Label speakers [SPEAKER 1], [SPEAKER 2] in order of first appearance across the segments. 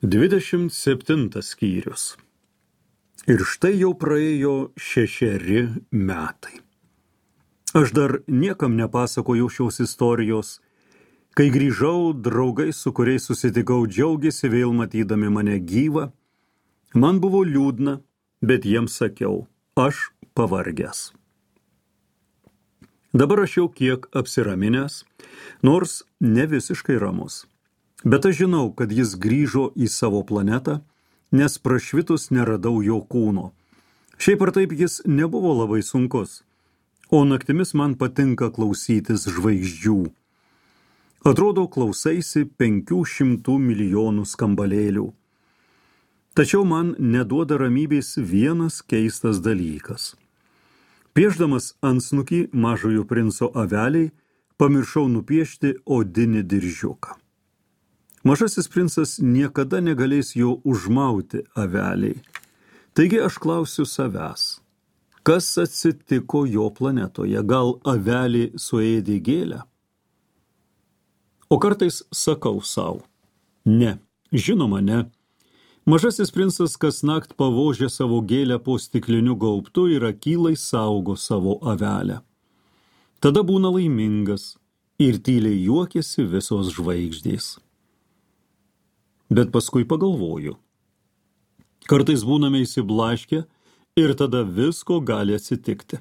[SPEAKER 1] 27 skyrius. Ir štai jau praėjo 6 metai. Aš dar niekam nepasakojau šios istorijos. Kai grįžau, draugai, su kuriais susitikau, džiaugiasi vėl matydami mane gyvą. Man buvo liūdna, bet jiems sakiau, aš pavargęs. Dabar aš jau kiek apsiraminęs, nors ne visiškai ramus. Bet aš žinau, kad jis grįžo į savo planetą, nes prašvitus neradau jo kūno. Šiaip ar taip jis nebuvo labai sunkus, o naktimis man patinka klausytis žvaigždžių. Atrodo, klausaisi 500 milijonų skambalėlių. Tačiau man neduoda ramybės vienas keistas dalykas. Piešdamas antsnukį mažojo princo aveliai, pamiršau nupiešti odinį diržiuką. Mažasis princas niekada negalės jo užmauti aveliai. Taigi aš klausiu savęs, kas atsitiko jo planetoje? Gal avelį suėdė gėlę? O kartais sakau sau, ne, žinoma ne. Mažasis princas kasnakt pavožia savo gėlę po stikliniu gaubtu ir akylai saugo savo avelę. Tada būna laimingas ir tyliai juokiasi visos žvaigždės. Bet paskui pagalvoju. Kartais būname įsiblaškę ir tada visko gali atsitikti.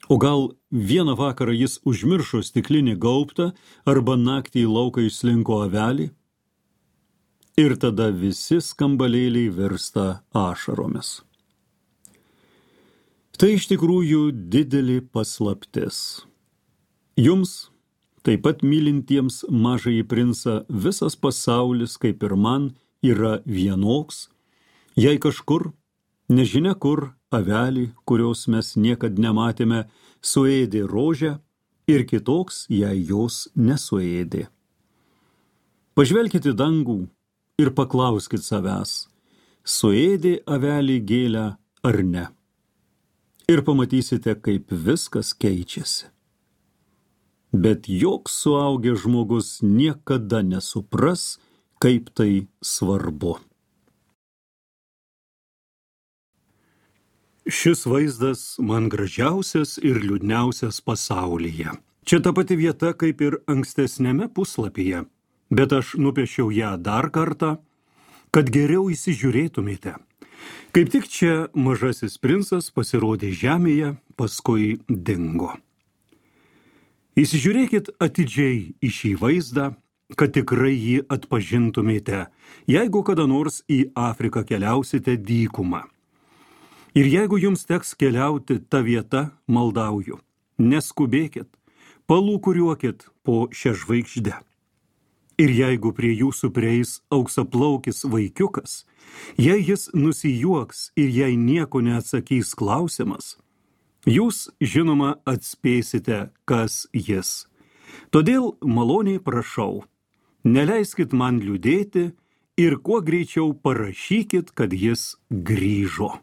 [SPEAKER 1] O gal vieną vakarą jis užmiršo stiklinį gaubtą arba naktį į lauką išslinko avelį? Ir tada visi skambalėliai virsta ašaromis. Tai iš tikrųjų didelė paslaptis. Jums, taip pat mylintiems mažąjį princą, visas pasaulis, kaip ir man, yra vienoks, jei kažkur, nežinia kur, avelį, kurios mes niekad nematėme, suėdė rožę ir kitoks, jei jos nesuėdė. Pažvelkite į dangų ir paklauskit savęs, suėdė avelį gėlę ar ne. Ir pamatysite, kaip viskas keičiasi. Bet joks suaugęs žmogus niekada nesupras, kaip tai svarbu. Šis vaizdas man gražiausias ir liūdniausias pasaulyje. Čia ta pati vieta kaip ir ankstesniame puslapyje, bet aš nupiešiau ją dar kartą, kad geriau įsižiūrėtumėte. Kaip tik čia mažasis princas pasirodė žemėje, paskui dingo. Įsižiūrėkit atidžiai į šį vaizdą, kad tikrai jį atpažintumėte, jeigu kada nors į Afriką keliausite dykumą. Ir jeigu jums teks keliauti tą vietą, maldauju, neskubėkit, palūkuriuokit po šią žvaigždę. Ir jeigu prie jūsų prieis auksaplaukis vaikiukas, jei jis nusijuoks ir jei nieko neatsakys klausimas, jūs, žinoma, atspėsite, kas jis. Todėl maloniai prašau, neleiskit man liūdėti ir kuo greičiau parašykit, kad jis grįžo.